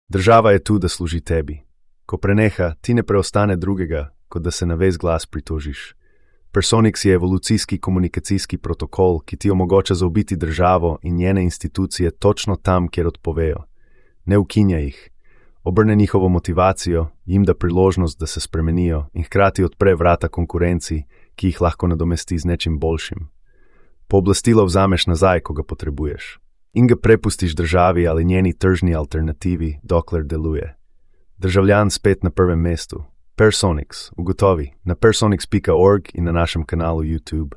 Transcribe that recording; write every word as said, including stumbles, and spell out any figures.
Država je tu, da služi tebi. Ko preneha, ti ne preostane drugega, kot da se na ves glas pritožiš. Personix je evolucijski komunikacijski protokol, ki ti omogoča zaobiti državo in njene institucije točno tam, kjer odpovejo. Ne ukinja jih. Obrne njihovo motivacijo, jim da priložnost, da se spremenijo in hkrati odpre vrata konkurenci, ki jih lahko nadomesti z nečim boljšim. Pooblastilo vzameš nazaj, ko ga potrebuješ. In ga prepustiš državi ali njeni tržni alternativi, dokler deluje. Državljan spet na prvem mestu. Personix, ugotovi, na personix pika org in na našem kanalu YouTube.